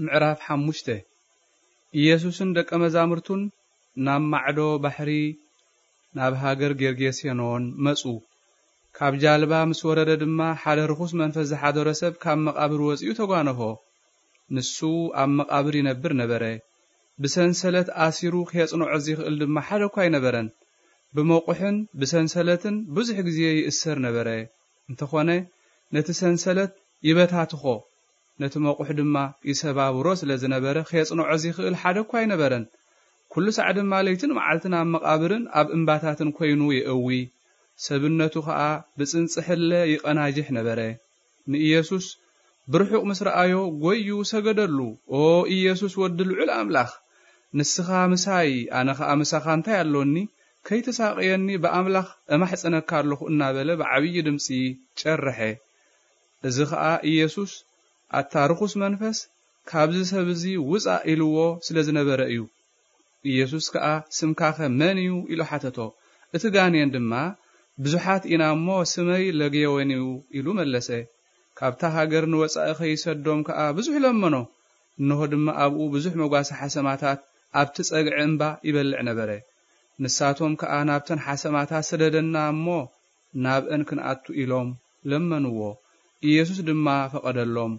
ምዕራፍ ሓሙሽተ። ኢየሱስን ደቀ መዛሙርቱን ናብ ማዕዶ ባሕሪ፣ ናብ ሃገር ጌርጌሴኖን መጹ። ካብ ጃልባ ምስ ወረደ ድማ፣ ሓደ ርኹስ መንፈስ ዝሓደሮ ሰብ ካብ መቓብር ወጺኡ ተጓነፎ። ንሱ ኣብ መቓብር ይነብር ነበረ። ብሰንሰለት ኣሲሩ ኬጽንዖ ዚኽእል ድማ ሓደ እኳ ኣይነበረን። ብመቑሕን ብሰንሰለትን ብዙሕ ግዜ ይእሰር ነበረ። እንተኾነ፣ ነቲ ሰንሰለት ይበታትኾ፣ ነቲ መቑሕ ድማ ይሰባብሮ ስለ ዝነበረ፣ ኬጽንዖ ዚኽእል ሓደ እኳ ኣይነበረን። ኩሉ ሳዕ ድማ ለይትን መዓልትን ኣብ መቓብርን ኣብ እምባታትን ኮይኑ የእዊ። ሰብነቱ ኸኣ ብጽንጽሕለ ይቐናጅሕ ነበረ። ንኢየሱስ ብርሑቕ ምስ ረኣዮ፣ ጐዩ ሰገደሉ። "ኦ ኢየሱስ፣ ወዲ ልዑል ኣምላኽ፣ ንስኻ ምሳይ፣ ኣነ ኸኣ ምሳኻ እንታይ ኣሎኒ? ከይትሳቕየኒ ብኣምላኽ እማሕጸነካ ኣለኹ" እናበለ ብዓብዪ ድምጺ ጨርሐ። እዚ ኸኣ ኢየሱስ፣ "ኣታ ርኹስ መንፈስ፣ ካብዚ ሰብ እዚ ውጻእ" ኢልዎ ስለ ዝነበረ እዩ። ኢየሱስ ከኣ፣ "ስምካኸ መን እዩ?" ኢሉ ሓተቶ። እቲ ጋኔን ድማ፣ "ብዙሓት ኢና እሞ፣ ስመይ ለጌዎን እዩ" ኢሉ መለሰ። ካብታ ሃገር ንወጻኢ ኸይሰዶም ከኣ ብዙሕ ለመኖ። እንሆ ድማ ኣብኡ ብዙሕ መጓሰ ሓሰማታት ኣብቲ ጸግዒ እምባ ይበልዕ ነበረ። ንሳቶም ከኣ፣ "ናብተን ሓሰማታት ስደደና እሞ፣ ናብአን ክንኣቱ" ኢሎም ለመንዎ። ኢየሱስ ድማ ፈቐደሎም።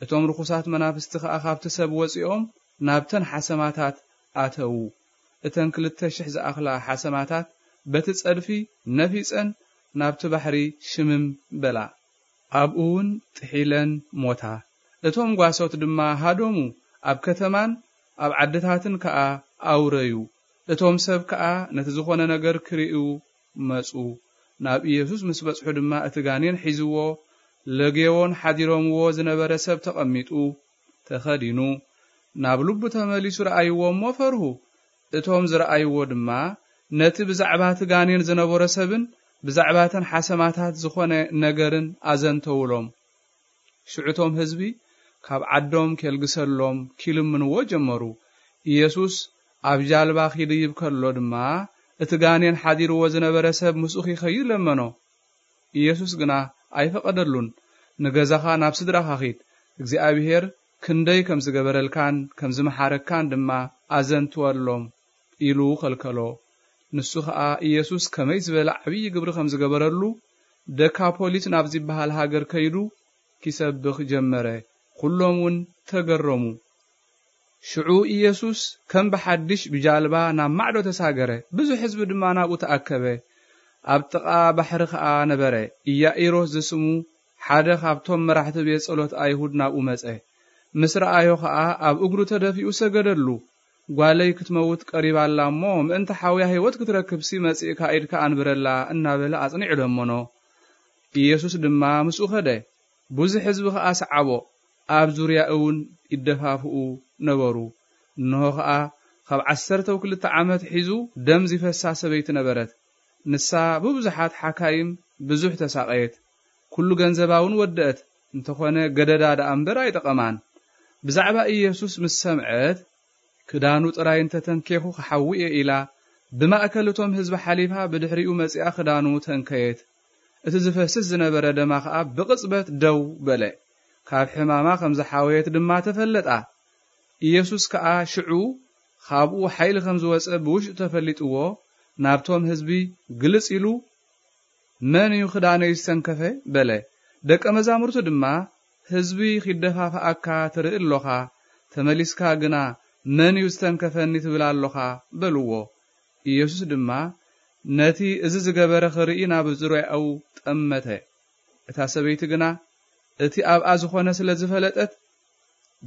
እቶም ርኹሳት መናፍስቲ ኸኣ ካብቲ ሰብ ወጺኦም ናብተን ሓሰማታት ኣተዉ። እተን ክልተ ሽሕ ዝኣኽላ ሓሰማታት በቲ ጸድፊ ነፊጸን ናብቲ ባሕሪ ሽምም በላ። ኣብኡ እውን ጥሒለን ሞታ። እቶም ጓሶት ድማ ሃደሙ፣ ኣብ ከተማን ኣብ ዓድታትን ከኣ ኣውረዩ። እቶም ሰብ ከኣ ነቲ ዝኾነ ነገር ክርእዩ መጹ። ናብ ኢየሱስ ምስ በጽሑ ድማ እቲ ጋኔን ሒዝዎ፣ ለጌዎን ሓዲሮምዎ ዝነበረ ሰብ ተቐሚጡ፣ ተኸዲኑ፣ ናብ ልቡ ተመሊሱ ረኣይዎ እሞ ፈርሁ። እቶም ዝረኣይዎ ድማ ነቲ ብዛዕባ እቲ ጋኔን ዝነበሮ ሰብን ብዛዕባ እተን ሓሰማታት ዝኾነ ነገርን ኣዘንተውሎም። ሽዑ እቶም ህዝቢ ካብ ዓዶም ኬልግሰሎም ኪልምንዎ ጀመሩ። ኢየሱስ ኣብ ጃልባ ኪድይብ ከሎ ድማ፣ እቲ ጋኔን ሓዲርዎ ዝነበረ ሰብ ምስኡ ኪኸይድ ለመኖ። ኢየሱስ ግና ኣይፈቐደሉን። "ንገዛኻ፣ ናብ ስድራኻ ኺድ፣ እግዚኣብሄር ክንደይ ከም ዝገበረልካን ከም ዝመሓረካን ድማ ኣዘንትወሎም" ኢሉ ኸልከሎ። ንሱ ኸኣ ኢየሱስ ከመይ ዝበለ ዓብዪ ግብሪ ከም ዝገበረሉ፣ ደካፖሊስ ናብ ዝበሃል ሃገር ከይዱ ኪሰብኽ ጀመረ። ኩሎም እውን ተገረሙ። ሽዑ ኢየሱስ ከም ብሓድሽ ብጃልባ ናብ ማዕዶ ተሳገረ፣ ብዙሕ ህዝቢ ድማ ናብኡ ተኣከበ። ኣብ ጥቓ ባሕሪ ኸኣ ነበረ። ኢያኢሮስ ዝስሙ ሓደ ኻብቶም መራሕቲ ቤት ጸሎት ኣይሁድ ናብኡ መጸ። ምስ ረኣዮ ኸኣ ኣብ እግሩ ተደፊኡ ሰገደሉ። "ጓለይ ክትመውት ቀሪባ ኣላ እሞ፣ ምእንቲ ሓውያ ህይወት ክትረክብሲ መጺእካ ኢድካ ኣንብረላ" እናበለ ኣጽኒዑ ለመኖ። ኢየሱስ ድማ ምስኡ ኸደ። ብዙሕ ህዝቢ ኸኣ ሰዓቦ፣ ኣብ ዙርያኡ እውን ይደፋፍኡ ነበሩ። እንሆ ኸኣ፣ ካብ ዓሰርተው ክልተ ዓመት ሒዙ ደም ዚፈሳ ሰበይቲ ነበረት። ንሳ ብብዙሓት ሓካይም ብዙሕ ተሳቐየት። ኩሉ ገንዘባ እውን ወደአት፣ እንተኾነ ገደዳ ደኣ እምበር ኣይጠቐማን። ብዛዕባ ኢየሱስ ምስ ሰምዐት፣ "ክዳኑ ጥራይ እንተ ተንኬኹ ክሓዊ እየ" ኢላ፣ ብማእከል እቶም ህዝቢ ሓሊፋ ብድሕሪኡ መጺኣ ክዳኑ ተንከየት። እቲ ዝፈስስ ዝነበረ ደማ ኸኣ ብቕጽበት ደው በለ። ካብ ሕማማ ከም ዝሓወየት ድማ ተፈለጣ። ኢየሱስ ከኣ ሽዑ ኻብኡ ሓይሊ ከም ዝወጸ ብውሽጡ ተፈሊጥዎ፣ ናብቶም ህዝቢ ግልጽ ኢሉ፣ "መን እዩ ክዳነይ ዝተንከፈ?" በለ። ደቀ መዛሙርቱ ድማ፣ "ህዝቢ ኺደፋፍኣካ ትርኢ ኣሎኻ፣ ተመሊስካ ግና፣ 'መን እዩ ዝተንከፈኒ?' ትብል ኣሎኻ?" በልዎ። ኢየሱስ ድማ ነቲ እዚ ዝገበረ ኽርኢ ናብ ዙርያኡ ጠመተ። እታ ሰበይቲ ግና እቲ ኣብኣ ዝኾነ ስለ ዝፈለጠት፣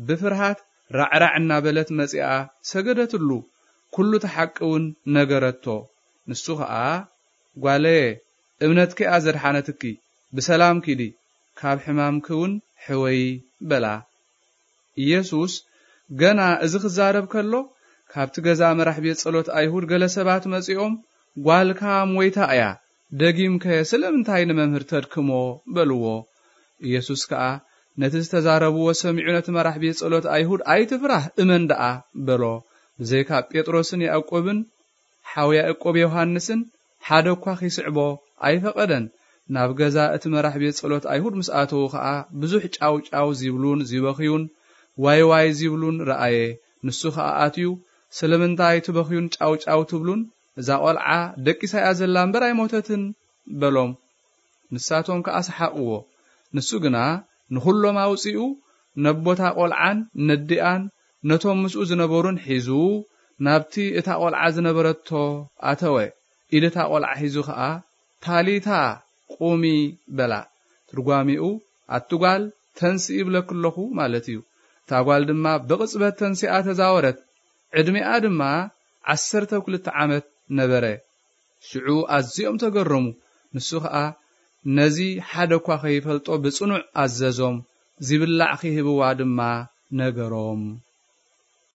ብፍርሃት ራዕራዕ እናበለት መጺኣ ሰገደትሉ። ኩሉ እቲ ሓቂ እውን ነገረቶ። ንሱ ኸኣ፣ "ጓለየ፣ እምነትኪ እያ ዘድሓነትኪ፣ ብሰላም ኪዲ፣ ካብ ሕማምኪ እውን ሕወዪ" በላ። ኢየሱስ ገና እዚ ክዛረብ ከሎ፣ ካብቲ ገዛ መራሕ ቤት ጸሎት ኣይሁድ ገለ ሰባት መጺኦም፣ "ጓልካ ሞይታ እያ፣ ደጊምከ ስለምንታይ ንመምህር ተድክሞ?" በልዎ። ኢየሱስ ከኣ ነቲ ዝተዛረብዎ ሰሚዑ፣ ነቲ መራሕ ቤት ጸሎት ኣይሁድ፣ "ኣይትፍራህ፣ እመን ደኣ" በሎ። ብዘይካ ጴጥሮስን ያዕቆብን ሓው ያዕቆብ ዮሃንስን ሓደ እኳ ኺስዕቦ ኣይፈቐደን። ናብ ገዛ እቲ መራሕ ቤት ጸሎት ኣይሁድ ምስ ኣተዉ ኸኣ፣ ብዙሕ ጫውጫው ዚብሉን ዚበኽዩን፣ ዋይ ዋይ ዚብሉን ረኣየ። ንሱ ኸኣ ኣትዩ፣ ስለምንታይ ትበኽዩን ጫው ጫው ትብሉን? እዛ ቖልዓ ደቂሳ እያ ዘላ እምበር ኣይሞተትን በሎም። ንሳቶም ከኣ ሰሓቕዎ። ንሱ ግና ንኹሎም ኣውጺኡ ነቦታ ቖልዓን ነዲኣን ነቶም ምስኡ ዝነበሩን ሒዙ ናብቲ እታ ቖልዓ ዝነበረቶ ኣተወ። ኢድ እታ ቖልዓ ሒዙ ኸኣ ታሊታ ቁሚ በላ። ትርጓሚኡ ኣቲ ጓል ተንስኢ ይብለኪ ኣለኹ ማለት እዩ። እታ ጓል ድማ ብቕጽበት ተንሲኣ ተዛወረት። ዕድሜኣ ድማ ዓሰርተ ክልተ ዓመት ነበረ። ሽዑ ኣዝዮም ተገረሙ። ንሱ ኸኣ ነዚ ሓደ እኳ ከይፈልጦ ብጽኑዕ ኣዘዞም። ዚብላዕ ኺህብዋ ድማ ነገሮም።